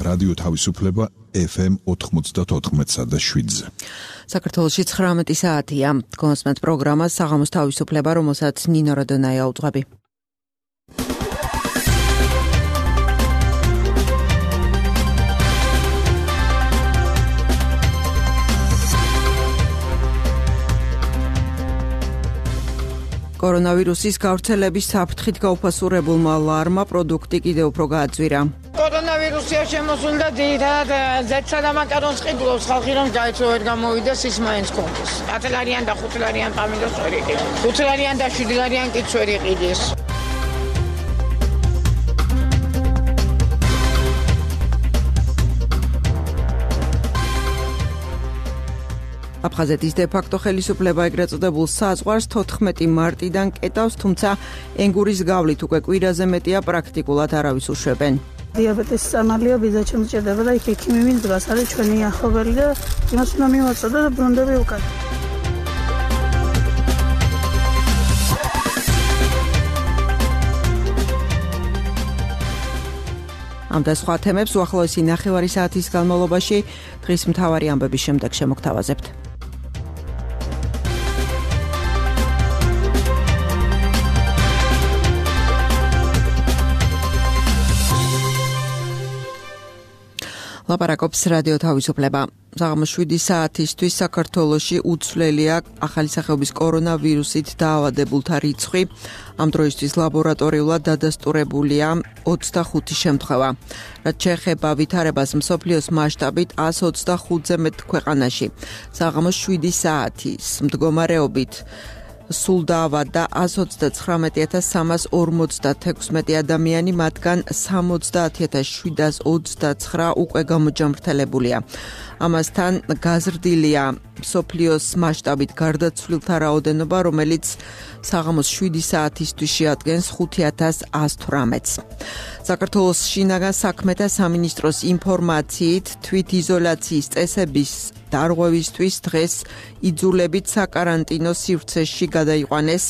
რადიო თავისუფლება FM 94.7-ზე. საქართველოში 19 საათია. კონსმეთ პროგრამა საღამოს თავისუფლება, რომელსაც ნინო რადონაია უძღვები. კორონავირუსის გავრცელების საფრთხით გაუფასურებულმა ლარმა პროდუქტი კიდევ უფრო გააძვირა. კორონავირუსია შემოსული და ძირითადად ზეთსა და მაკარონს ყიდულობს ხალხი, რომ გაიცო ვერ გამოვიდეს ის მაინც კონდეს. 10 ლარიან და 5 ლარიან პამიდოს ვერ იყიდეს. 5 ლარიან და 7 ლარიან კიც ვერ იყიდეს. აფხაზეთის დე-ფაქტო ხელისუფლება ეგრეთ წოდებულ საზღვარს 14 მარტიდან კეტავს, თუმცა ენგურის გავლით უკვე კვირაზე მეტია პრაქტიკულად არავის უშვებენ. დიაბეტის სამალია ბიძაჩემ ჭირდება და იქ ექიმი მინდრას არის ჩვენი ახლობელი და იმას უნდა მივაწოდო და ბრუნდები უკან. ამ და სხვა თემებს უახლოესი ნახევარი საათის განმავლობაში დღის მთავარი ამბების შემდეგ შემოგთავაზებთ. ლაპარაკობს რადიო თავისუფლება. საღამოს 7 საათისთვის საქართველოში უცვლელია ახალი სახეობის კორონავირუსით დაავადებულთა რიცხვი. ამ დროისთვის ლაბორატორიულად დადასტურებულია 25 შემთხვევა. რაც შეეხება ვითარებას მსოფლიოს მასშტაბით 125-ზე მეტ ქვეყანაში. საღამოს 7 საათის მდგომარეობით სულ დაავადდა 129,356 ადამიანი, მათგან 70,729 უკვე გამოჯამრთელებულია. ამასთან გაზრდილია მსოფლიოს მასშტაბით გარდაცვლილთა რაოდენობა, რომელიც საღამოს 7 საათისთვის შეადგენს 5,118-ს. საქართველოს შინაგან საქმეთა სამინისტროს ინფორმაციით თვითიზოლაციის წესების დარღვევისთვის დღეს იძულებით საკარანტინო სივრცეში გადაიყვანეს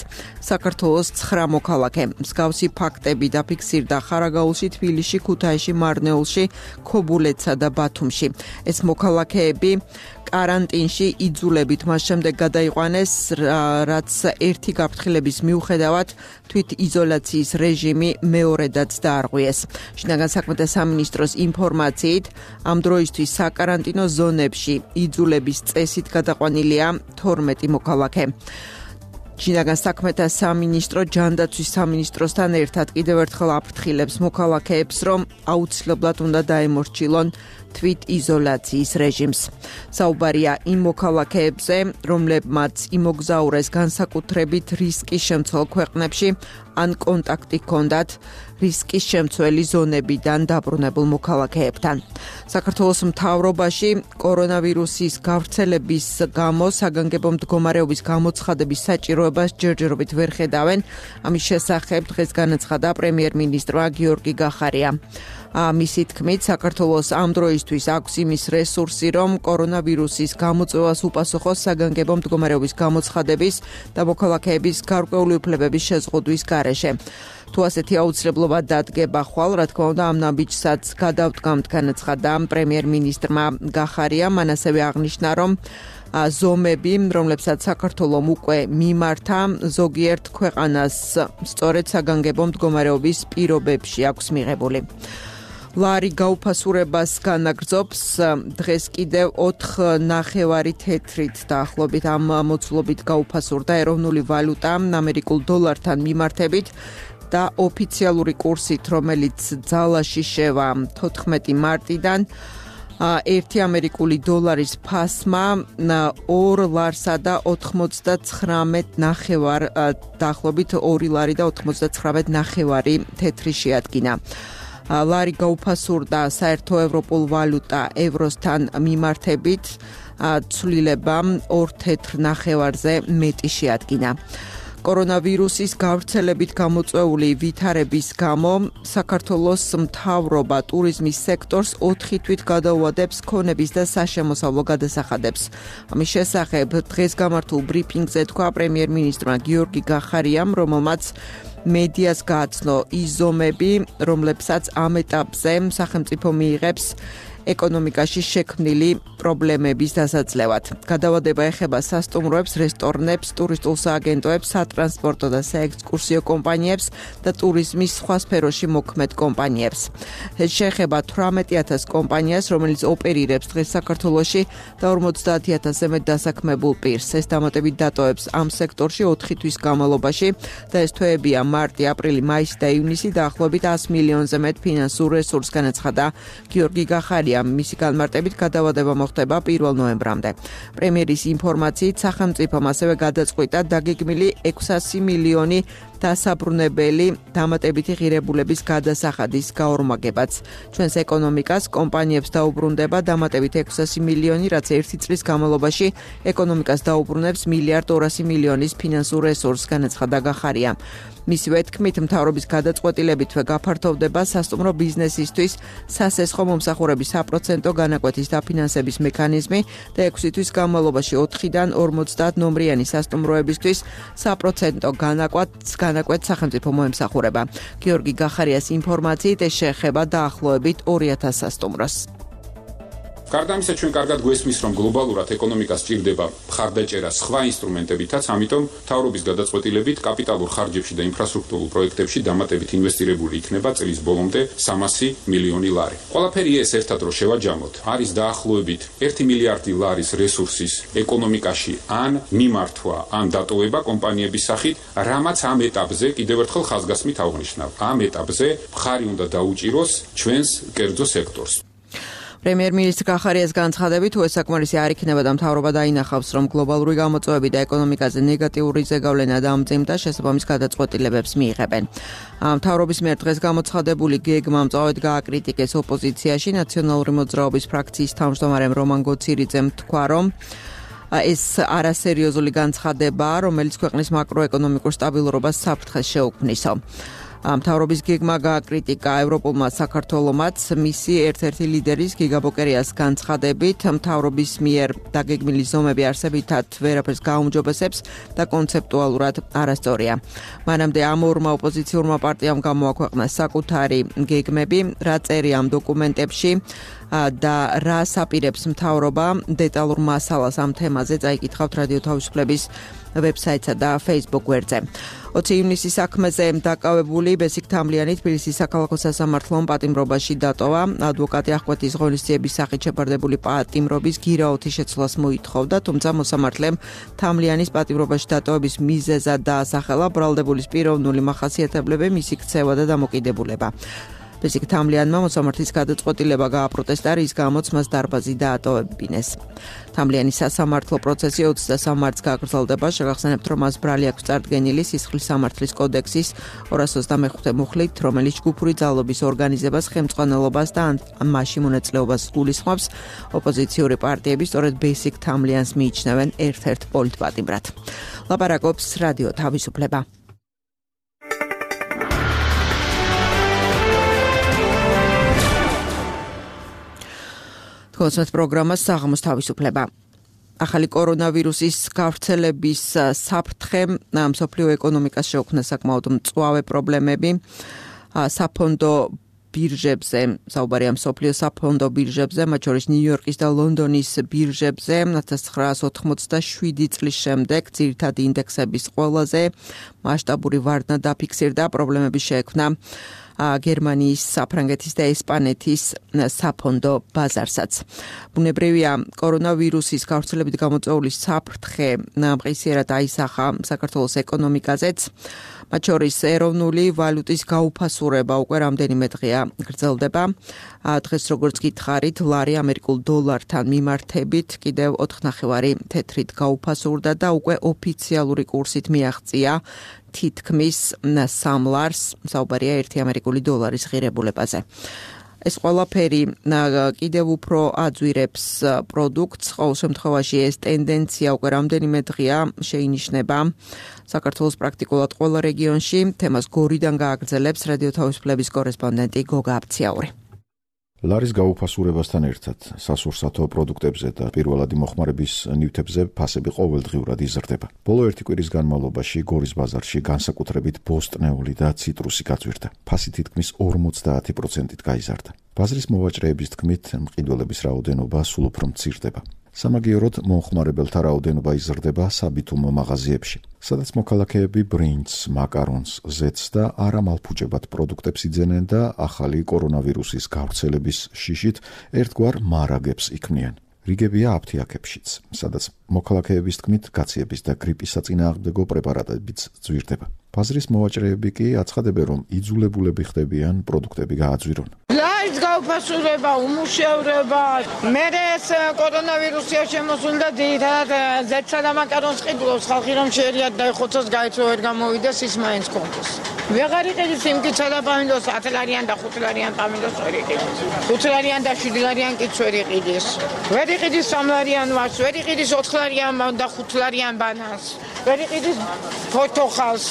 საქართველოს 9 მოქალაქე. მსგავსი ფაქტები დაფიქსირდა ხარაგაულში, თბილისში, ქუთაისში, მარნეულში, ქობულეთსა და ბათუმში. ეს მოქალაქეები კარანტინში იძულებით მას შემდეგ გადაიყვანეს, რაც ერთი გაფრთხილების მიუხედავად თვითიზოლაციის რეჟიმი მეორედაც დაარღვიეს. შინაგან საქმეთა სამინისტროს ინფორმაციით ამ დროისთვის საკარანტინო ზონებში იძულების წესით გადაყვანილია 12 მოქალაქე. შინაგან საქმეთა სამინისტრო ჯანდაცვის სამინისტროსთან ერთად კიდევ ერთხელ აფრთხილებს მოქალაქეებს, რომ აუცილებლად უნდა დაემორჩილონ თვითიზოლაციის რეჟიმს. საუბარია იმ მოქალაქეებზე, რომლებმაც იმოგზაურეს განსაკუთრებით რისკის შემცველ ქვეყნებში ან კონტაქტი ჰქონდათ რისკის შემცველი ზონებიდან დაბრუნებულ მოქალაქეებთან. საქართველოს მთავრობაში კორონავირუსის გავრცელების გამო საგანგებო მდგომარეობის გამოცხადების საჭიროებას ჯერჯერობით ვერ ხედავენ. ამის შესახებ დღეს განაცხადა პრემიერ-მინისტრმა გიორგი გახარია. მისი თქმით, საქართველოს ამ დროისთვის აქვს იმის რესურსი, რომ კორონავირუსის გამოწვევას უპასუხოს საგანგებო მდგომარეობის გამოცხადების და მოქალაქეების გარკვეული უფლებების შეზღუდვის გარეშე. თუ ასეთი აუცილებლობა დადგება ხვალ, რა თქმა უნდა, ამ ნაბიჯსაც გადავდგამთ, განაცხადა პრემიერ-მინისტრმა გახარიამ. მან ასევე აღნიშნა, რომ ზომები, რომლებსაც საქართველომ უკვე მიმართა, ზოგიერთ ქვეყანას სწორედ საგანგებო მდგომარეობის პირობებში აქვს მიღებული. ლარი გაუფასურებას განაგრძობს დღეს კიდევ 4.5 თეთრით დაახლოებით ამ მოცულობით გაუფასურდა ეროვნული ვალუტა ამერიკულ დოლართან მიმართებით და ოფიციალური კურსით, რომელიც ძალაში შევა 14 მარტიდან 1 ამერიკული დოლარის ფასმა 2 ლარსა და 99.9 დაახლოებით 2 ლარი და 99.9 თეთრი შეადგინა. ლარი გაუფასურდა საერთო ევროპულ ვალუტა ევროსთან მიმართებით, ცვლილება 2 თეთრ ნახევარზე მეტი შეადგინა. კორონავირუსის გავრცელებით გამოწვეული ვითარების გამო საქართველოს მთავრობა ტურიზმის სექტორს 4 თვით გადაუადებს ქონების და საშემოსავლო გადასახადებს. ამის შესახებ დღეს გამართულ ბრიფინგზე თქვა პრემიერ-მინისტრმა გიორგი გახარიამ, რომელმაც მედიას გააცნო ის ზომები, რომლებსაც ამ ეტაპზე სახელმწიფო მიიღებს ეკონომიკაში შექმნილი პრობლემების დასაძლევად. გადავადება ეხება სასტუმროებს, რესტორნებს, ტურისტულ სააგენტოებს, სატრანსპორტო და საექსკურსიო კომპანიებს და ტურიზმის სხვა სფეროში მოქმედ კომპანიებს. ეს შეეხება 18,000 კომპანიას, რომელიც ოპერირებს დღეს საქართველოში და 50,000-ზე მეტ დასაქმებულ პირს. ეს დამატებით დატოვებს ამ სექტორში 4 თვის განმავლობაში და ეს თვეებია მარტი, აპრილი, მაისი და ივნისი დაახლოებით 100 მილიონზე მეტ ფინანსურ რესურსს განაცხადა გიორგი გახარია. მისი განმარტებით გადავადება მოხდება 1 ნოემბრამდე. პრემიერის ინფორმაციით სახელმწიფომ ასევე გადაწყვიტა დაგეგმილი 600 მილიონი დასაბრუნებელი დამატებითი ღირებულების გადასახადის გაორმაგებაც. ჩვენს ეკონომიკას კომპანიებს დაუბრუნდება დამატებით 600 მილიონი, რაც 1 წლის განმავლობაში ეკონომიკას დაუბრუნებს 1,2 მილიონის ფინანსურ რესურსს, განაცხადა გახარია. მისივე თქმით, მთავრობის გადაწყვეტილებითვე გაფართოვდება სასტუმრო ბიზნესისთვის სასესხო მომსახურების 100% განაკვეთის დაფინანსების მექანიზმი და 6 თვის განმავლობაში 4-დან 50 ნომრიანი სასტუმროებისთვის 100% განაკვეთ სახელმწიფო მოემსახურება. გიორგი გახარიას ინფორმაციით ეს შეეხება დაახლოებით 2,000 სასტუმროს. გარდა ამისა, ჩვენ კარგად გვესმის, რომ გლობალურად ეკონომიკას სჭირდება მხარდაჭერა სხვა ინსტრუმენტებითაც, ამიტომ მთავრობის გადაწყვეტილებით კაპიტალურ ხარჯებში და ინფრასტრუქტურულ პროექტებში დამატებით ინვესტირებული იქნება წლის ბოლომდე 300 მილიონი ლარი. ყველაფერი ეს ერთად რო შევაჯამოთ, არის დაახლოებით 1 მილიარდი ლარის რესურსის ეკონომიკაში ან მიმართვა, ან დატოვება კომპანიების სახით, რამაც ამ ეტაპზე კიდევ ერთხელ ხაზგასმით აღვნიშნავ. ამ ეტაპზე მხარი უნდა დაუჭიროს ჩვენს კერძო სექტორს. პრემიერ-მინისტრ გახარიას განცხადებით, თუ ეს საკმარისი არ იქნება და მთავრობა დაინახავს, რომ გლობალური გამოწვევები და ეკონომიკაზე ნეგატიური ზეგავლენა დამძიმდა, შესაბამის გადაწყვეტილებებს მიიღებენ. მთავრობის მიერ დღეს გამოცხადებული გეგმა მწვავედ გააკრიტიკეს ოპოზიციაში. ნაციონალური მოძრაობის ფრაქციის თავმჯდომარემ რომან გოცირიძემ თქვა, რომ ეს არასერიოზული განცხადებაა, რომელიც ქვეყნის მაკროეკონომიკურ სტაბილურობას საფრთხეს შეუქმნისო. მთავრობის გეგმა გააკრიტიკა ევროპულმა საქართველომაც მისი ერთ-ერთი ლიდერის გიგა ბოკერიას განცხადებით, მთავრობის მიერ დაგეგმილი ზომები არსებითად ვერაფერს გაუმჯობესებს და კონცეპტუალურად არასწორია. მანამდე ამ ორმა ოპოზიციურმა პარტიამ გამოაქვეყნა საკუთარი გეგმები, რა წერია ამ დოკუმენტებში და რა საპირებს მთავრობა, დეტალურ მასალას ამ თემაზე წაიკითხავთ რადიო თავისუფლების ვებსაიტსა და Facebook გვერდზე. 20 ივნისის საქმეზე დაკავებული ბესიკ თამლიანი თბილისის საქალაქო სასამართლომ პატიმრობაში დატოვა. ადვოკატი აღკვეთის ღონისძიების სახით შეფარდებული პატიმრობის გირაოთის შეცვლას მოითხოვდა, თუმცა მოსამართლემ თამლიანის პატიმრობაში დატოვების მიზეზად დაასახელა ბრალდებულის პიროვნული მახასიათებლები, მისი ქცევა და დამოკიდებულება. ბესიკ თამლიანმა მოსამართლის გადაწყვეტილება გააპროტესტა, რის გამოც მას დარბაზი დაატოვებინეს. თამლიანის სასამართლო პროცესი 23 მარტს გაგრძელდება. შეგახსენებთ, რომ მას ბრალი აქვს წარდგენილი სისხლის სამართლის კოდექსის 225 მუხლით, რომელიც ჯგუფური ძალობის ორგანიზებას, ხელმძღვანელობას და მასში მონაწილეობას გულისხმობს. ოპოზიციური პარტიები სწორედ ბესიკ თამლიანს მიიჩნევენ ერთ-ერთ პოლიტპატიმრად. ლაპარაკობს რადიო თავისუფლება. კონსერტ პროგრამა საღამოს თავისუფლება. ახალი კორონავირუსის გავრცელების საფრთხე მსოფლიო ეკონომიკას შეუქმნა საკმაოდ მწვავე პრობლემები. საფონდო ბირჟებზე, საუბარია მსოფლიო საფონდო ბირჟებზე, მათ შორის ნიუ-იორკის და ლონდონის ბირჟებზე 1987 წლის შემდეგ ძირითადი ინდექსების ყველაზე მასშტაბური ვარდნა დაფიქსირდა, პრობლემები შეექმნა გერმანიის, საფრანგეთის და ესპანეთის საფონდო ბაზარსაც. ბუნებრივია, კორონავირუსის გავრცელებით გამოწვეული საფრთხე მყისიერად აისახა საქართველოს ეკონომიკაზეც. მათ შორის ეროვნული ვალუტის გაუფასურება უკვე რამდენიმე დღეა გრძელდება. დღეს როგორც გითხარით, ლარი ამერიკულ დოლართან მიმართებით კიდევ 4.5 თეთრით გაუფასურდა და უკვე ოფიციალური კურსით მიაღწია თითქმის 3 ლარს, საუბარია 1 ამერიკული დოლარის ღირებულებაზე. ეს ყველაფერი კიდევ უფრო აძვირებს პროდუქტს, ყოველ შემთხვევაში ეს ტენდენცია უკვე რამდენიმე დღეა შეინიშნება საქართველოს პრაქტიკულად ყველა რეგიონში. თემას გორიდან გააგრძელებს რადიო თავისუფლების კორესპონდენტი გოგა აბციაური. ლარის გაუფასურებასთან ერთად სასურსათო პროდუქტებზე და პირველადი მოხმარების ნივთებზე ფასები ყოველდღიურად იზრდება. ბოლო ერთი კვირის განმავლობაში გორის ბაზარში განსაკუთრებით ბოსტნეული და ციტრუსი გაძვირდა. ფასი თითქმის 50%-ით გაიზარდა. ბაზრის მოვაჭრეების თქმით, მყიდველების რაოდენობა სულ უფრო მცირდება. სამაგიეროდ მომხმარებელთა რაოდენობა იზრდება საბითუმო მაღაზიებში, სადაც მოქალაქეები ბრინჯს, მაკარონს, ზეთს და არამალფუჭებად პროდუქტებს იძენენ და ახალი კორონავირუსის გავრცელების შიშით ერთგვარ მარაგებს იქმნიან. რიგებია აფთიაქებშიც, სადაც მოქალაქეების თქმით გაციების და გრიპის საწინააღმდეგო პრეპარატებიც ძვირდება. ბაზრის მოვაჭრეები კი აცხადებენ, რომ იძულებულები ხდებიან პროდუქტები გააძვირონ. ლარის გაუფასურება, უმუშევრობა, მერე ეს კორონავირუსია შემოსული და ძირითადად ზეთსა და მაკარონს ყიდულობს ხალხი, რომ შეერიათ დაიხოცოს, გაეცო ვერ გამოვიდეს, ის მაინც კონდეს. ვეღარ იყიდის სიმკიცა და პამინდოს 10 ლარიან და 5 ლარიან პამინდოს ვერ იყიდის. 5 ლარიან და 7 ლარიან კიც ვერ იყიდის. ვერ იყიდის 3 ლარიან ვარს, ვერ იყიდის 4 ლარიან და 5 ლარიან ბანანს. ვერ იყიდის ფოთოხალს.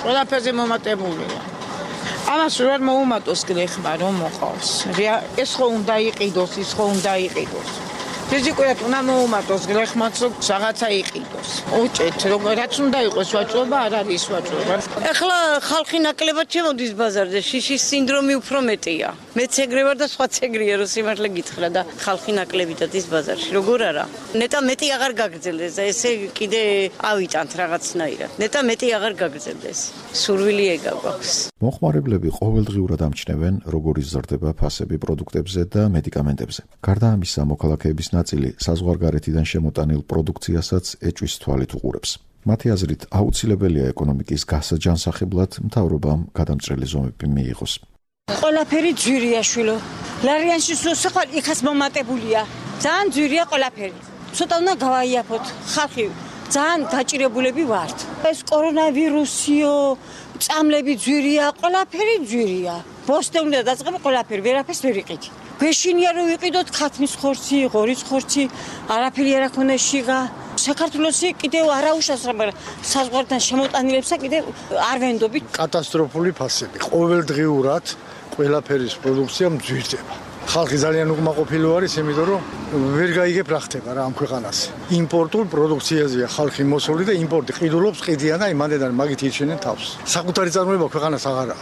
ყველაფერზე მომატებულია. ამას ვერ მოუმატოს გლეხმა რომ მოყავს. ეს ხო უნდა იყიდოს, ის ხო უნდა იყიდოს. ფიზიკურად უნდა მოუმატოს გლეხმაც რომ რაღაცა იყიდოს. უჭეთ რაც უნდა იყოს ვაჭრობა არ არის ვაჭრობა. ეხლა ხალხი ნაკლებად შემოდის ბაზარზე, შიშის სინდრომი უფრო მეტია. მეც ეგრე ვარ და სხვაც ეგრეა რომ სიმართლე გითხრა და ხალხი ნაკლებად ის ბაზარში. როგორ არა? ნეტა მეტი აღარ გაგრძელდეს და ესე კიდე ავიტანთ რაღაცნაირად. ნეტა მეტი აღარ გაგრძელდეს. სურვილი ეგა გვაქვს. მომხმარებლები ყოველდღიურად ამჩნევენ, როგორ იზრდება ფასები პროდუქტებზე და მედიკამენტებზე. გარდა ამისა, მოქალაქეების ნაწილი საზღვარგარეთიდან შემოტანილ პროდუქციასაც ეჭვის თვალით უყურებს. მათი აზრით, აუცილებელია ეკონომიკის გასაჯანსაღებლად მთავრობამ გადამჭრელი ზომები მიიღოს. ყველაფერი ძვირია შვილო. ლარიანში სულ იქაც მომატებულია. ძალიან ძვირია ყველაფერი. ცოტა უნდა გავაიაფოთ. ხალხი ძალიან დაჭირებულები ვართ. ეს კორონავირუსიო, წამლები ძვირია, ყველაფერი ძვირია. ბოსტე უნდა დაწყება ყველაფერი, ვერაფერს ვერ იყიდი. გვეშინია რომ ვიყიდოთ ქათმის ხორცი, ღორის ხორცი, არაფერი არ აქვს შიგა. საქართველოსი კიდევ არაუშავს, მაგრამ საზღვართან შემოტანილებსა კიდევ არ ვენდობით. კატასტროფული ფასები. ყოველდღიურად ყველაფერის პროდუქცია მძვირდება. ხალხი ძალიან უკმაყოფილო არის, იმიტომ რომ ვერ გაიგებ რა ხდება რა ამ ქვეყანას. იმპორტულ პროდუქციაზეა ხალხი მოსული და იმპორტი ყიდულობს, ყიდიან და იმანდან მაგით ირჩენენ თავს. საკუთარი წარმოება ქვეყანას აღარა.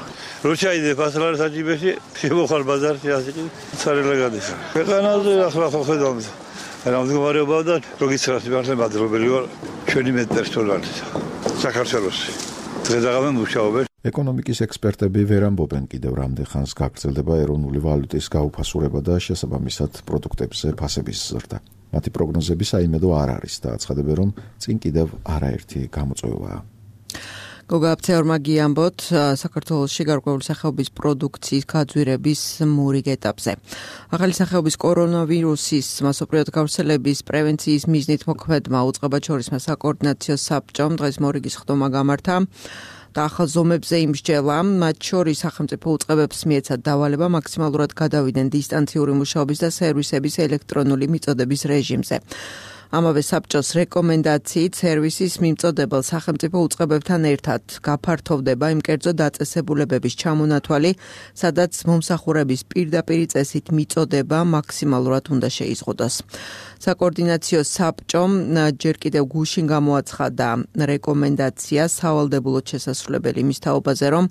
რო ჩაიდე ფასლარის აჯიბეში, შემოხარ ბაზარში ასეთი ცარელა გადის. ქვეყანაზე ახლა ხო ხედავთ. რამდგომარეობა და როგიცრას მართლა მადლობელი ვარ ჩვენი მეტპერსონალის. საქართველოსი. დღესაღამე მუშაობენ. ეკონომიკის ექსპერტები ვერ ამბობენ კიდევ რამდენ ხანს გაგრძელდება ეროვნული ვალუტის გაუფასურება და შესაბამისად პროდუქტებზე ფასების ზრდა. მათი პროგნოზები საიმედო არ არის და აცხადებენ, რომ წინ კიდევ არაერთი გამოწვევაა. გოგა აფცეორმა გიამბოთ საქართველოში გარკვეული სახეობის პროდუქციის გაძვირების მურიგ ეტაპზე. ახალი სახეობის კორონავირუსის მასობრივად გავრცელების პრევენციის მიზნით მოქმედმა უწყებაჩორისმა საკოორდინაციო საბჭომ დღეს მორიგის ხდომა გამართა და ახალ ზომებზე იმსჯელა, მათ შორის სახელმწიფო უწყებებს მიეცათ დავალება მაქსიმალურად გადავიდნენ დისტანციური მუშაობის და სერვისების ელექტრონული მიწოდების რეჟიმზე. ამავე საბჭოს რეკომენდაციით სერვისის მიმწოდებელ სახელმწიფო უწყებებთან ერთად გაფართოვდება იმ კერძო დაწესებულებების ჩამონათვალი, სადაც მომსახურების პირდაპირი წესით მიწოდება მაქსიმალურად უნდა შეიზღუდოს. საკოორდინაციო საბჭომ ჯერ კიდევ გუშინ გამოაცხადა რეკომენდაცია სავალდებულოდ შესასრულებელი იმის თაობაზე, რომ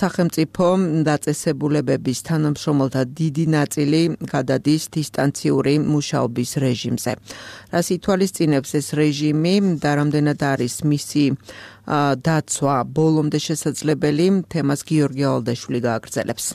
სახელმწიფო დაწესებულებების თანამშრომელთა დიდი ნაწილი გადადის დისტანციური მუშაობის რეჟიმზე. რას ითვალისწინებს ეს რეჟიმი და რამდენად არის მისი დაცვა ბოლომდე შესაძლებელი, თემას გიორგი ალდაშვილი გააგრძელებს.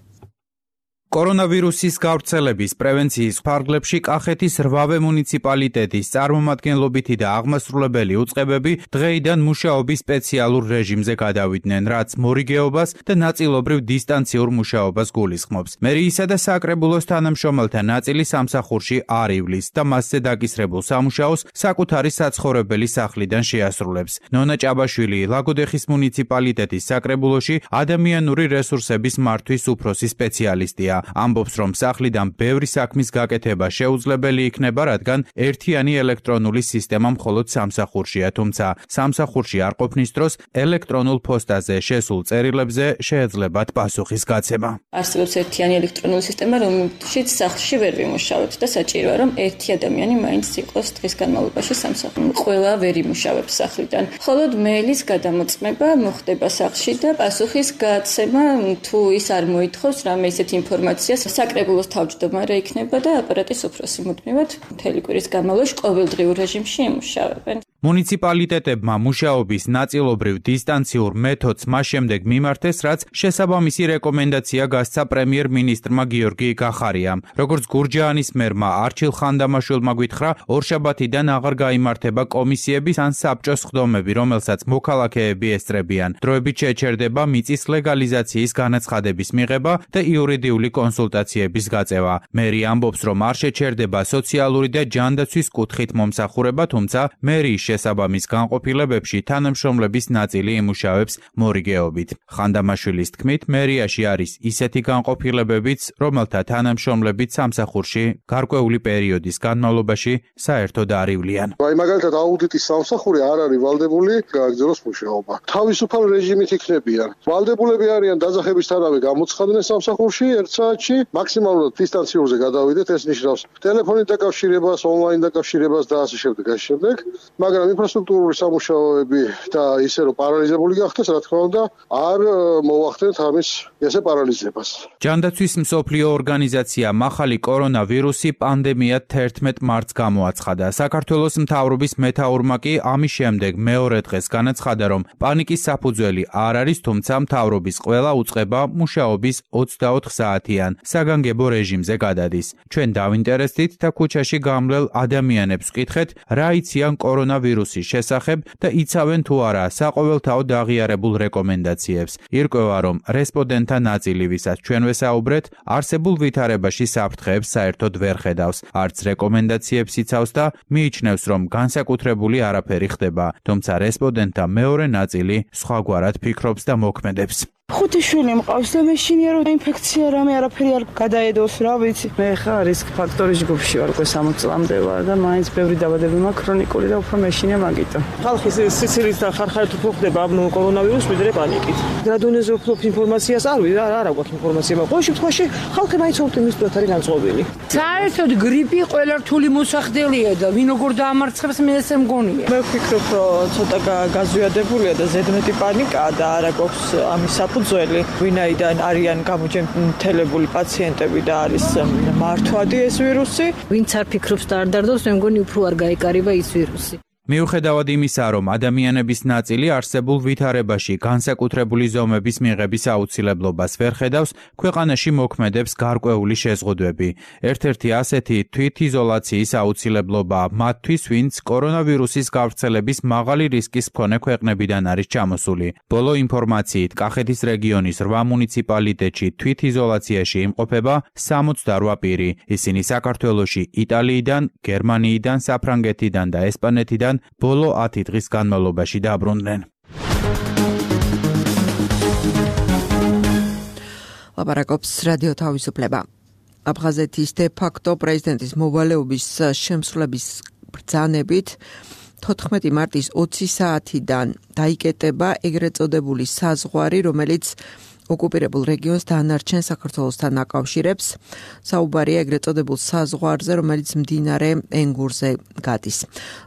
კორონავირუსის გავრცელების პრევენციის ფარგლებში კახეთის 8 მუნიციპალიტეტის წარმომადგენლობითი და აღმასრულებელი უწყებები დღეიდან მუშაობის სპეციალურ რეჟიმზე გადავიდნენ, რაც მორიგეობას და ნაწილობრივ დისტანციურ მუშაობას გულისხმობს. მერიისა და საკრებულოს თანამშრომელთა ნაწილი სამსახურში არ ივლის და მასზე დაკისრებულ სამუშაოს საკუთარი საცხოვრებელი სახლიდან შეასრულებს. ნონა ჭაბაშვილი ლაგოდეხის მუნიციპალიტეტის საკრებულოში ადამიანური რესურსების მართვის უფროსი სპეციალისტია. ამბობს, რომ სახლიდან ბევრი საქმის გაკეთება შეუძლებელი იქნება, რადგან ერთიანი ელექტრონული სისტემა მხოლოდ სამსახურშია, თუმცა სამსახურში არ ყოფნის დროს ელექტრონულ პოსტაზე შესულ წერილებზე შეეძლებათ პასუხის გაცემა. არსებობს ერთიანი ელექტრონული სისტემა, რომელშიც სახლში ვერ ვიმუშავებთ და საჭიროა, რომ ერთი ადამიანი მაინც იყოს დღის განმავლობაში სამსახურში. ყველა ვერ იმუშავებს სახლიდან. მხოლოდ მეილის გადამოწმება მოხდება სახლში და პასუხის გაცემა თუ ის არ მოითხოვს რამე ისეთ ინფორმაციას, საკრებულოს თავმჯდომარე იქნება და აპარატის უფროსი მუდმივად მთელი კვირის განმავლობაში ყოველდღიურ რეჟიმში იმუშავებენ. მუნიციპალიტეტებმა მუშაობის ნაწილობრივ დისტანციურ მეთოდს მას შემდეგ მიმართეს, რაც შესაბამისი რეკომენდაცია გასცა პრემიერ-მინისტრმა გიორგი გახარიამ. როგორც გურჯაანის მერმა არჩილ ხანდამაშვილმა გვითხრა, ორშაბათიდან აღარ გაიმართება კომისიების ან საბჭოს სხდომები, რომელსაც მოქალაქეები ესწრებიან. დროებით შეჩერდება მიწის ლეგალიზაციის განაცხადების მიღება და იურიდიული კონსულტაციების გაწევა. მერი ამბობს, რომ არ შეჩერდება სოციალური და ჯანდაცვის კუთხით მომსახურება, თუმცა მერიის შესაბამის განყოფილებებში თანამშრომლების ნაწილი იმუშავებს მორიგეობით. ხანდამაშვილის თქმით, მერიაში არის ისეთი განყოფილებებიც, რომელთა თანამშრომლებიც სამსახურში გარკვეული პერიოდის განმავლობაში საერთოდ არ ივლიან. მაგალითად აუდიტის სამსახური არ არის ვალდებული გააგრძელოს მუშაობა. თავისუფალ რეჟიმით იქნებიან. ვალდებულები არიან დაძახებისთანავე გამოცხადნენ სამსახურში 1 საათში, მაქსიმალურად დისტანციურზე გადავიდეთ, ეს ნიშნავს ტელეფონით დაკავშირებას, ონლაინ დაკავშირებას და ასე შემდეგ. მაგრამ ინფრასტრუქტურული სამუშაოები და ისე რომ პარალიზებული გახდეს, რა თქმა უნდა, არ მოვახდენთ ამის ესე პარალიზებას. ჯანდაცვის მსოფლიო ორგანიზაცია მახალი კორონავირუსი პანდემია 11 მარტს გამოაცხადა. საქართველოს მთავრობის მეთაურმა კი ამის შემდეგ მეორე დღეს განაცხადა, რომ პანიკის საფუძველი არ არის, თუმცა მთავრობის ყველა უწყება მუშაობის 24 საათიან საგანგებო რეჟიმზე გადადის. ჩვენ დავინტერესდით და ქუჩაში გამლელ ადამიანებს ვკითხეთ, რა იციან კორონავირუსის შესახებ და იცავენ თუ არა საყოველთაოდ აღიარებულ რეკომენდაციებს. ირკვევა, რომ რესპონდენტთა ნაწილი, ვისაც ჩვენ ვესაუბრეთ, არსებულ ვითარებაში საფრთხეებს საერთოდ ვერ ხედავს, არც რეკომენდაციებს იცავს და მიიჩნევს, რომ განსაკუთრებული არაფერი ხდება, თუმცა რესპონდენტთა მეორე ნაწილი სხვაგვარად ფიქრობს და მოქმედებს. 5 შვილი მყავს და მეშინია რომ ინფექცია რამე არაფერი არ გადაედოს, რა ვიცი. მე ხა რისკ ფაქტორის ჯგუფში ვარ, უკვე 60 წლამდე ვარ და მაინც ბევრი დაბადებები მაქვს ქრონიკული და უფრო მეშინია მაგიტო. ხალხის სიცილით და ხარხარით უფრო ხდება ამ კორონავირუსს ვიდრე პანიკით. რა დონეზე უფრო ინფორმაციას არ ვიცი, არა გვაქვს ინფორმაცია, მაგრამ ყოველ შემთხვევაში ხალხი მაინც ოპტიმისტურად არის განწყობილი. საერთოდ გრიპი ყველა რთული მოსახდელია და ვინ როგორ დაამარცხებს მე ესე მგონია. მე ვფიქრობ, რომ ცოტა გაზვიადებულია და ზედმეტი პანიკაა და არა გვაქვს ამის ძველი ვინაიდან არიან გამოჯანმრთელებული პაციენტები და არის მართვადი ეს ვირუსი. ვინც არ ფიქრობს და არ დარდოს, მე მგონი უფრო არ გაეკარება ის ვირუსი. მიუხედავად იმისა, რომ ადამიანების ნაწილი არსებულ ვითარებაში განსაკუთრებული ზომების მიღების აუცილებლობას ვერ ხედავს, ქვეყანაში მოქმედებს გარკვეული შეზღუდვები. ერთ-ერთი ასეთი თვითიზოლაციის აუცილებლობა მათთვის, ვინც კორონავირუსის გავრცელების მაღალი რისკის მქონე ქვეყნებიდან არის ჩამოსული. ბოლო ინფორმაციით, კახეთის რეგიონის 8 მუნიციპალიტეტში თვითიზოლაციაში იმყოფება 68 პირი. ისინი საქართველოში იტალიიდან, გერმანიიდან, საფრანგეთიდან და ესპანეთიდან ბოლო 10 დღის განმავლობაში დაბრუნდნენ. ლაპარაკობს რადიო თავისუფლება. აფხაზეთის დე-ფაქტო პრეზიდენტის მოვალეობის შემსრულების ბრძანებით 14 მარტის 20 საათიდან დაიკეტება ეგრეთ წოდებული საზღვარი, რომელიც ოკუპირებულ რეგიონს დანარჩენ საქართველოსთან აკავშირებს. საუბარია ეგრეთ წოდებულ საზღვარზე, რომელიც მდინარე ენგურზე გადის.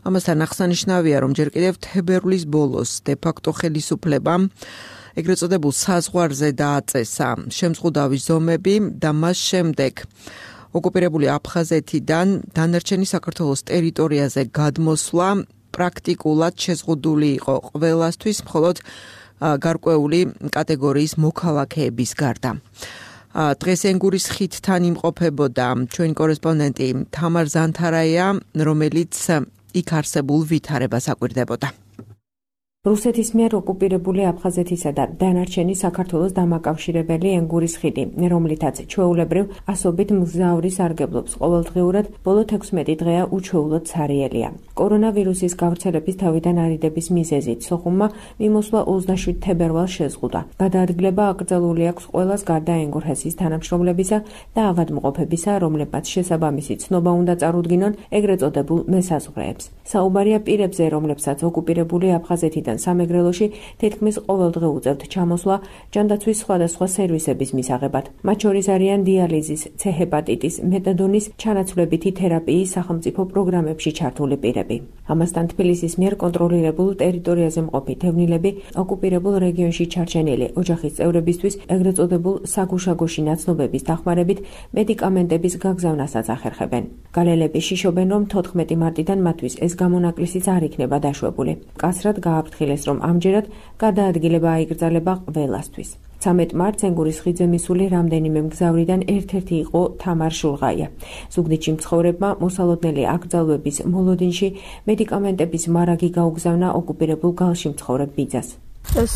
ამასთან აღსანიშნავია, რომ ჯერ კიდევ თებერვლის ბოლოს დე-ფაქტო ხელისუფლებამ ეგრეთ წოდებულ საზღვარზე დააწესა შემზღუდავი ზომები და მას შემდეგ ოკუპირებული აფხაზეთიდან დანარჩენი საქართველოს ტერიტორიაზე გადმოსვლა პრაქტიკულად შეზღუდული იყო ყველასთვის, მხოლოდ გარკვეული კატეგორიის მოქალაქეების გარდა. დღეს ენგურის ხიდთან იმყოფებოდა ჩვენი კორესპონდენტი თამარ ზანთარაია, რომელიც იქ არსებულ ვითარებას აკვირდებოდა. რუსეთის მიერ ოკუპირებული აფხაზეთისა და დანარჩენი საქართველოს დამაკავშირებელი ენგურის ხიდი, რომლითაც ჩვეულებრივ ასობით მგზავრი სარგებლობს ყოველდღიურად, ბოლო 16 დღეა უჩვეულოდ ცარიელია. კორონავირუსის გავრცელების თავიდან არიდების მიზეზით სოხუმმა მიმოსვლა 27 თებერვალს შეზღუდა. გადაადგილება აკრძალული აქვს ყველას გარდა ენგურჰესის თანამშრომლებისა და ავადმყოფებისა, რომლებმაც შესაბამისი ცნობა უნდა წარუდგინონ ეგრეთ წოდებულ მესაზღვრეებს. საუბარია პირებზე, რომლებსაც ოკუპირებული აფხაზეთიდან სამეგრელოში თითქმის ყოველდღე უწევთ ჩამოსვლა ჯანდაცვის სხვადასხვა სერვისების მისაღებად. მათ შორის არიან დიალიზის, C-ჰეპატიტის, მეტადონის, ჩანაცვლებითი თერაპიის სახელმწიფო პროგრამებში ჩართული პირები. ამასთან თბილისის მიერ კონტროლირებულ ტერიტორიაზე მყოფი თევნილები ოკუპირებულ რეგიონში ჩარჩენილი ოჯახის წევრებისთვის ეგრეთ წოდებულ საგუშაგოში ნაცნობების დახმარებით მედიკამენტების გაგზავნასაც ახერხებენ. გალელები შიშობენ, რომ 14 მარტიდან მათთვის ეს გამონაკლისიც არ იქნება დაშვებული. კაცრად გააფრთხილეს, რომ ამჯერად გადაადგილება აიკრძალება ყველასთვის. 13 მარტს ენგურის ხიდზე მისული რამდენიმე მგზავრიდან ერთ-ერთი იყო თამარ შულღაია. ზუგდიდში მცხოვრებმა მოსალოდნელი აკრძალვების მოლოდინში მედიკამენტების მარაგი გაუგზავნა ოკუპირებულ გალში მცხოვრებ ბიძას. ეს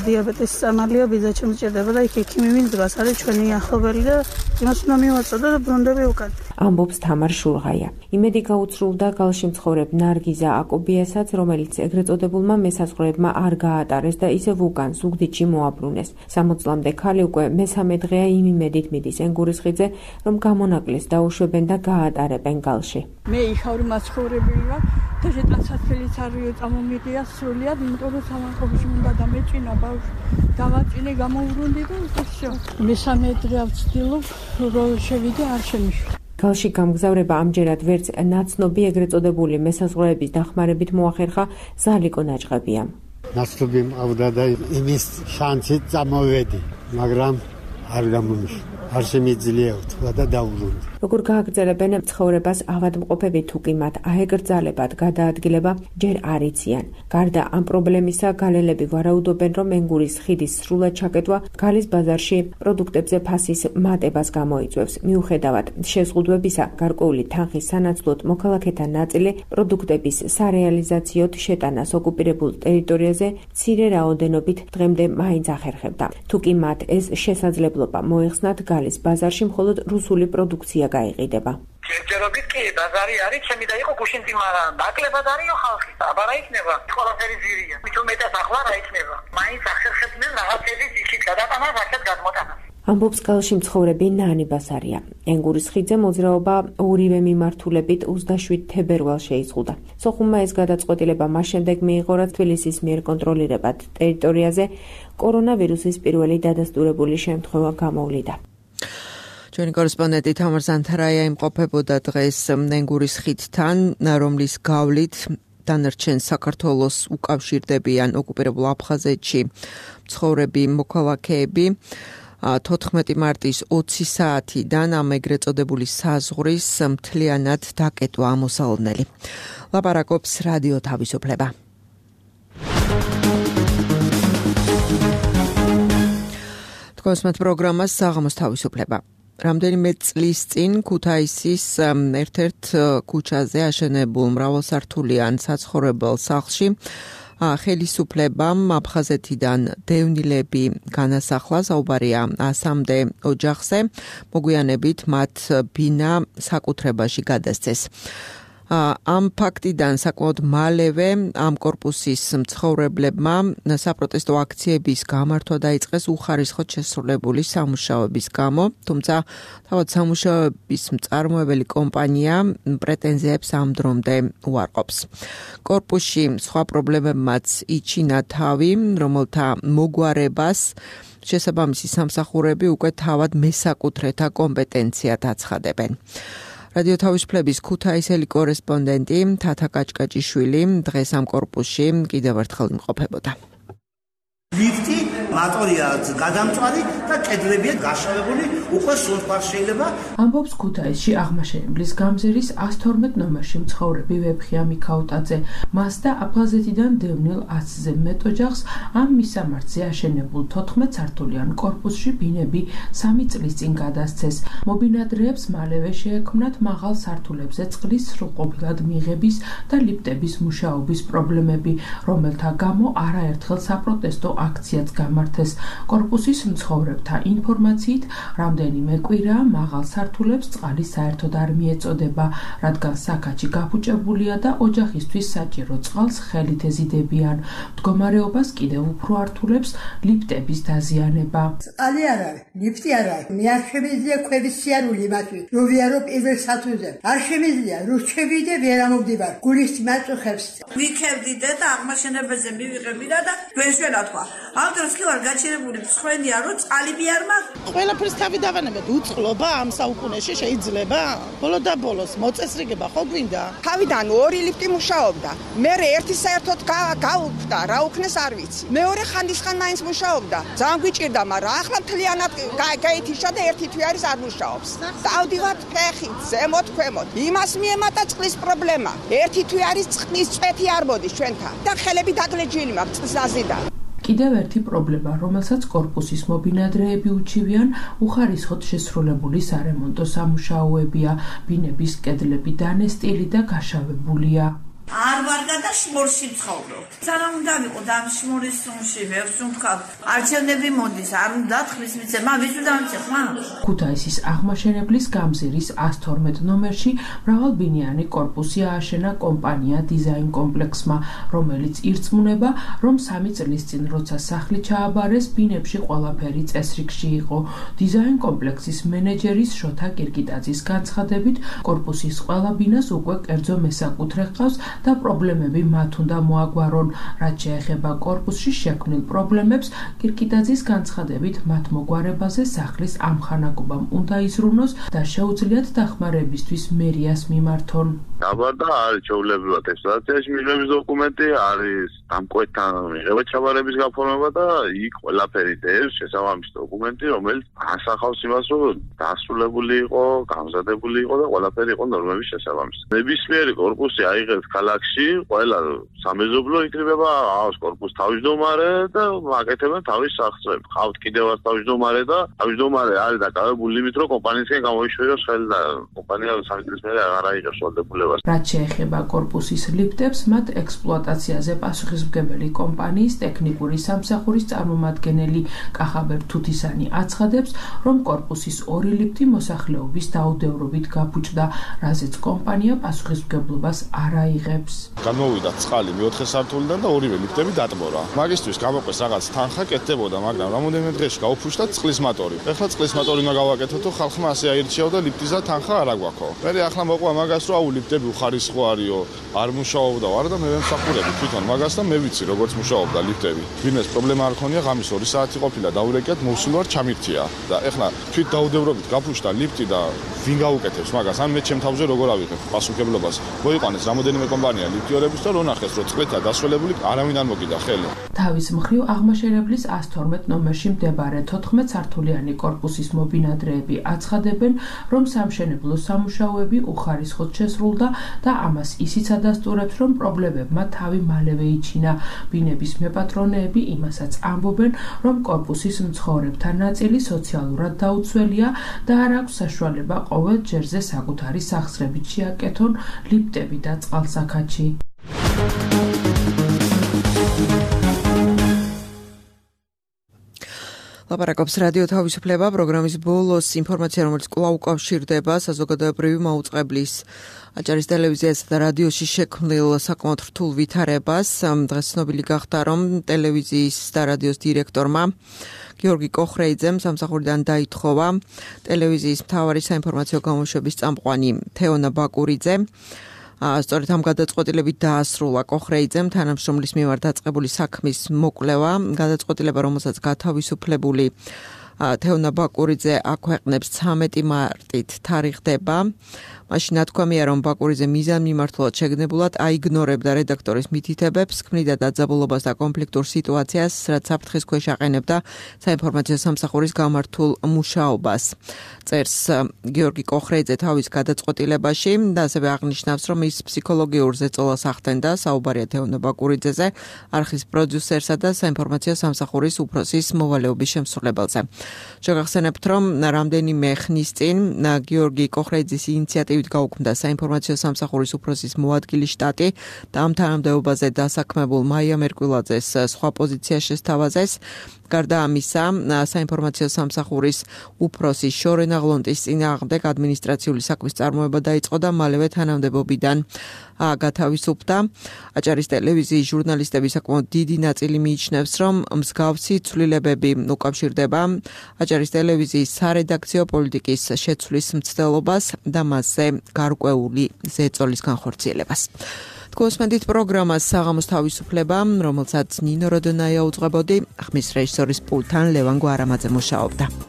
დიაბეტის სამალია ბიძა შემჭირდება და იქ ექიმი მინდას არის ჩვენი ახლობელი და იმას უნდა მივაწოდო და ბრუნდები უკან. ამბობს თამარ შულღაია. იმედი გაუცრუვდა გალში მცხოვრებ ნარგიზა აკობიასაც, რომელიც ეგრეთ წოდებულმა მესაზღვრეებმა არ გაატარეს და ისევ უკან ზუგდიდში მოაბრუნეს. 60 წლამდე ქალი უკვე მესამე დღეა იმ იმედით მიდის ენგურის ხიდზე, რომ გამონაკლისს დაუშვებენ და გაატარებენ გალში. მე იხავრი მაცხოვრებელი ვარ და შეტანსათქელიც არის წამომიღია სრულიად, იმიტომ რომ სამარხებში უნდა დამეჭინა ბავშვი. დავაწინე გამოვვრუნდი და ისე. მესამე დღე ვცდილობ რომ შევიდე არ შემიშვა. გალში გამგზავრება ამჯერად ვერც ნაცნობი ეგრეთ წოდებული მესაზღვრეების დახმარებით მოახერხა ზალიკო ნაჭყებია. ნაცნობი მყავდა და იმის შანსით წამოვედი, მაგრამ არ გამომიშვა. არ შემიძლია ვთქვა და დავუბრუნდი. როგორ გააგრძელებენ ცხოვრებას ავადმყოფები თუ კი მათ აეკრძალებათ გადაადგილება ჯერ არ იციან. გარდა ამ პრობლემისა, გალელები ვარაუდობენ, რომ ენგურის ხიდის სრულად ჩაკეტვა გალის ბაზარში პროდუქტებზე ფასის მატებას გამოიწვევს. მიუხედავად შეზღუდვებისა, გარკვეული თანხის სანაცვლოდ მოქალაქეთა ნაწილი პროდუქტების სარეალიზაციოდ შეტანას ოკუპირებულ ტერიტორიაზე მცირე რაოდენობით დღემდე მაინც ახერხებდა. თუ კი მათ ეს შესაძლებლობა მოეხსნათ, გალის ბაზარში მხოლოდ რუსული პროდუქცია გაიყიდება. ჯერჯერობით კი ბაზარი არის, ჩემი და იყო გუშინი, მაგრამ ნაკლებად არისო ხალხი. აბარა იქნება, ყველაფერი ძირია. მithom მეტად ახლა რა იქნება. მაინც ახერხებდნენ რაღაცების იქით გადატანას, ასეთ გადმოტანას. ამბობს გალში მცხოვრები ნანი ბასარია. ენგურის ხიდზე მოძრაობა ორივე მიმართულებით 27 თებერვალს შეიზღუდა. სოხუმმა ეს გადაწყვეტილება მას შემდეგ მიიღო, რაც თბილისის მიერ კონტროლირებად ტერიტორიაზე კორონავირუსის პირველი დადასტურებული შემთხვევა გამოვლიდა. ჩვენი კორესპონდენტი თამარ ზანთარაია იმყოფებოდა დღეს ენგურის ხიდთან, რომლის გავლით დანარჩენ საქართველოს უკავშირდებიან ოკუპირებულ აფხაზეთში მცხოვრები მოქალაქეები. 14 მარტის 20 საათიდან ამ ეგრეთ წოდებული საზღვრის მთლიანად დაკეტვა ამოსალოდნელი. ლაპარაკობს რადიო თავისუფლება. თქვენს პროგრამას საღამოს თავისუფლება. რამდენიმე წლის წინ ქუთაისის ერთ-ერთ ქუჩაზე აშენებულ მრავალსართულიან საცხოვრებელ სახლში ხელისუფლებამ აფხაზეთიდან დევნილები განასახლა, საუბარია 100-მდე ოჯახზე, მოგვიანებით მათ ბინა საკუთრებაში გადასცეს. ამ ფაქტიდან საკმაოდ მალევე ამ კორპუსის მცხოვრებლებმა საპროტესტო აქციების გამართვა დაიწყეს უხარისხოდ შესრულებული სამუშაოების გამო, თუმცა თავად სამუშაოების მწარმოებელი კომპანია პრეტენზიებს ამ დრომდე უარყოფს. კორპუსში სხვა პრობლემებმაც იჩინა თავი, რომელთა მოგვარებას შესაბამისი სამსახურები უკვე თავად მესაკუთრეთა კომპეტენციად აცხადებენ. რადიო თავისუფლების ქუთაისელი კორესპონდენტი თათა კაჭკაჭიშვილი დღეს ამ კორპუსში კიდევ ერთხელ იმყოფებოდა. ლიფტი მატორია გადამწვარი და კედლებია გაშავებული, უკვე სუნთქვა შეიძლება. ამბობს ქუთაისში აღმაშენებლის გამზირის 112 ნომერში მცხოვრები ვეფხია მიქაუტაძე. მას და აფხაზეთიდან დევნილ 100-ზე მეტ ოჯახს ამ მისამართზე აშენებულ 14 სართულიან კორპუსში ბინები 3 წლის წინ გადასცეს. მობინადრეებს მალევე შეექმნათ მაღალ სართულებზე წყლის სრულყოფილად მიღების და ლიფტების მუშაობის პრობლემები, რომელთა გამო არაერთხელ საპროტესტო აქციაც გამართეს. კორპუსის მცხოვრებთა ინფორმაციით, რამდენიმე კვირაა მაღალ სართულებს წყალი საერთოდ არ მიეწოდება, რადგან საქაჩი გაფუჭებულია და ოჯახისთვის საჭირო წყალს ხელით ეზიდებიან. მდგომარეობას კიდევ უფრო ართულებს ლიფტების დაზიანება. წყალი არ არის, ლიფტი არ არის. მე არ შემიძლია ქვების სიარული იმათი, რომ ვიარო პირველ სართულზე. არ შემიძლია, რომ შევიდე ვერ ამოვდივარ. გულის მაწუხებს. ვიქებდით და აღმაშენებაზე მივიღებდა და გვეშველა თქვა. ამ დროს კი ვარ გაჩერებული მსხვენია, რომ წყალიბი არ მაქვს. ყველაფერს თავი დავანებეთ. უწყლობა ამ საუკუნეში შეიძლება? ბოლო და ბოლოს მოწესრიგება ხო გვინდა? თავიდან 2 ლიფტი მუშაობდა. მე ერთი საერთოდ გაუქმდა, რა უქნეს არ ვიცი. მეორე ხანდისხან მაინც მუშაობდა. ძალიან გვიჭირდა, მაგრამ ახლა მთლიანად გაითიშა და ერთი თვე არის არ მუშაობს. დავდივართ ფეხით, ზემოთ, ქვემოთ. იმას მიემატა წყლის პრობლემა. ერთი თვე არის წყლის წვეთი არ მოდის ჩვენთან და ხელები დაგლეჯილი მაქვს წყლსაზიდან. კიდევ ერთი პრობლემა, რომელსაც კორპუსის მობინადრეები უჩივიან, უხარისხოდ შესრულებული სარემონტო სამუშაოებია. ბინების კედლები დანესტილი და გაშავებულია. არ ვარ და შმორში ვცხოვრობ. სანამ უნდა ვიყო და ამ შმორის სუნში ვებს ვთქვათ, არჩევნები მოდის, არ უნდა თხრის მიცემა, ვის უნდა მიცემა? ქუთაისის აღმაშენებლის გამზირის 112 ნომერში მრავალბინიანი კორპუსი ააშენა კომპანია დიზაინ კომპლექსმა, რომელიც ირწმუნება, რომ 3 წლის წინ როცა სახლი ჩააბარეს, ბინებში ყველაფერი წესრიგში იყო. დიზაინ კომპლექსის მენეჯერის შოთა კირკიტაძის განცხადებით, კორპუსის ყველა ბინას უკვე კერძო მესაკუთრე ჰყავს და პრობლემები მათ უნდა მოაგვარონ. რაც შეეხება კორპუსში შექმნილ პრობლემებს, კირკიტაძის განცხადებით, მათ მოგვარებაზე სახლის ამხანაგობამ უნდა იზრუნოს და შეუძლიათ დახმარებისთვის მერიას მიმართონ. დაბარდა არის ჩაულებრივად ექსპლუატაციაში მიღების დოკუმენტი, არის დამკვეთთან მიღება ჩაბარების გაფორმება და იქ ყველაფერი დევს შესაბამისი დოკუმენტი, რომელიც ასახავს იმას, რომ დასრულებული იყო, გამზადებული იყო და ყველაფერი იყო ნორმების შესაბამისი. ნებისმიერი კორპუსი აიღებს ქალაქში, ყველა სამეზობლო იქნება, აქვს კორპუს თავმჯდომარე და აკეთებენ თავის სახსრებს. ყავთ კიდევ ერთ თავმჯდომარე და თავმჯდომარე არის დაკავებული იმით, რომ კომპანიისგან გამოიშვიოს ხელი და კომპანია 3 წლის მერე აღარ აიღებს ვალდებულებას. რაც შეეხება კორპუსის ლიფტებს, მათ ექსპლუატაციაზე პასუხისმგებელი კომპანიის ტექნიკური სამსახურის წარმომადგენელი კახაბერ თუთისანი აცხადებს, რომ კორპუსის 2 ლიფტი მოსახლეობის დაუდევრობით გაფუჭდა, რაზეც კომპანია პასუხისმგებლობას არ აიღებს. Განმოვიდა წყალი მეოთხე სართულიდან და ორივე ლიფტები დატბორა. მაგისთვის გამოყვეს რაღაც თანხა კეთდებოდა, მაგრამ რამოდენიმე დღეში გაუფუშდა წყლის მატორი. ეხლა წყლის მატორი უნდა გავაკეთოთ, ხალხმა ასე აირჩიაო და ლიფტის და თანხა არ აგვაქვს. მე ახლა მოყვა მაგას, რომ აუ ლიფტები უხარისხო არისო, არ მუშაობდა ვარ და მე ვემსახურები თვითონ მაგას და მე ვიცი როგორც მუშაობდა ლიფტები. ვინმეს პრობლემა არ ქონია, ღამის 2 საათი ყოფილა, დაურეკეთ, მოვსულ ვარ ჩამირთია და ეხლა თვით დაუდევრობით გაფუშდა ლიფტი და ვინ გაუკეთებს მაგას? ან მე ჩემ თავზე როგორ ავიღებ პასუხისმგებლობას? მოიყვანეს რამოდენიმე კომპანია ლიფტიორების და რო ნახეს, რომ წყლითაა დასრულებული, არავინ არ მოგიდა ხელი. თავის მხრივ აღმაშენებლის 112 ნომერში მდებარე 14 სართულიანი კორპუსის მობინადრეები აცხადებენ, რომ სამშენებლო სამუშაოები უხარისხოდ შესრულდა და ამას ისიც ადასტურებს, რომ პრობლემებმა თავი მალევე იჩინა. ბინების მეპატრონეები იმასაც ამბობენ, რომ კორპუსის მცხოვრებთა ნაწილი სოციალურად დაუცველია და არ აქვს საშუალება ყოველ ჯერზე საკუთარი სახსრებით შეაკეთონ ლიფტები და წყალსაქაჩი. ლაპარაკობს რადიო თავისუფლება პროგრამის ბოლოს ინფორმაცია, რომელიც კვლავ უკავშირდება საზოგადოებრივი მაუწყებლის აჭარის ტელევიზიასა და რადიოში შექმნილ საკმაოდ რთულ ვითარებას. დღეს ცნობილი გახდა, რომ ტელევიზიის და რადიოს დირექტორმა გიორგი კოხრეიძემ სამსახურიდან დაითხოვა ტელევიზიის მთავარი საინფორმაციო გამოშვების წამყვანი თეონა ბაკურიძე. სწორედ ამ გადაწყვეტილებით დაასრულა კოხრეიძემ თანამშრომლის მიმართ დაწყებული საქმის მოკვლევა, გადაწყვეტილება, რომელსაც გათავისუფლებული თეონა ბაკურიძე აქვეყნებს 13 მარტით თარიღდება. მაშინ ნათქვამია, რომ ბაკურიძე მიზანმიმართულად შეგნებულად აიგნორებდა რედაქტორის მითითებებს, ქმნიდა დაძაბულობას და კონფლიქტურ სიტუაციას, რაც საფრთხის ქვეშ აყენებდა საინფორმაციო სამსახურის გამართულ მუშაობას. წერს გიორგი კოხრეიძე თავის გადაწყვეტილებაში და ასევე აღნიშნავს, რომ ის ფსიქოლოგიურ ზეწოლას ახდენდა, საუბარია თეონა ბაკურიძეზე, არხის პროდიუსერსა და საინფორმაციო სამსახურის უფროსის მოვალეობის შემსრულებელზე. შეგახსენებთ, რომ რამდენიმე ხნის წინ გიორგი კოხრეიძის ინიციატივით გაუქმდა საინფორმაციო სამსახურის უფროსის მოადგილი შტატი და ამ თანამდებობაზე დასაქმებულ მაია მერკვილაძეს სხვა პოზიცია შესთავაზეს. გარდა ამისა, საინფორმაციო სამსახურის უფროსის შორენა ღლონტის წინააღმდეგ ადმინისტრაციული საქმის წარმოება დაიწყო და მალევე თანამდებობიდან გათავისუფლდა. აჭარის ტელევიზიის ჟურნალისტები საკმაოდ დიდი ნაწილი მიიჩნევს, რომ მსგავსი ცვლილებები უკავშირდება აჭარის ტელევიზიის სარედაქციო პოლიტიკის შეცვლის მცდელობას და მასზე გარკვეული ზეწოლის განხორციელებას. თქვენსმენდით პროგრამას საღამოს თავისუფლება, რომელსაც ნინო როდონაია უძღვებოდი, ხმის რეჟისორის პულტთან ლევან გვარამაძე მუშაობდა.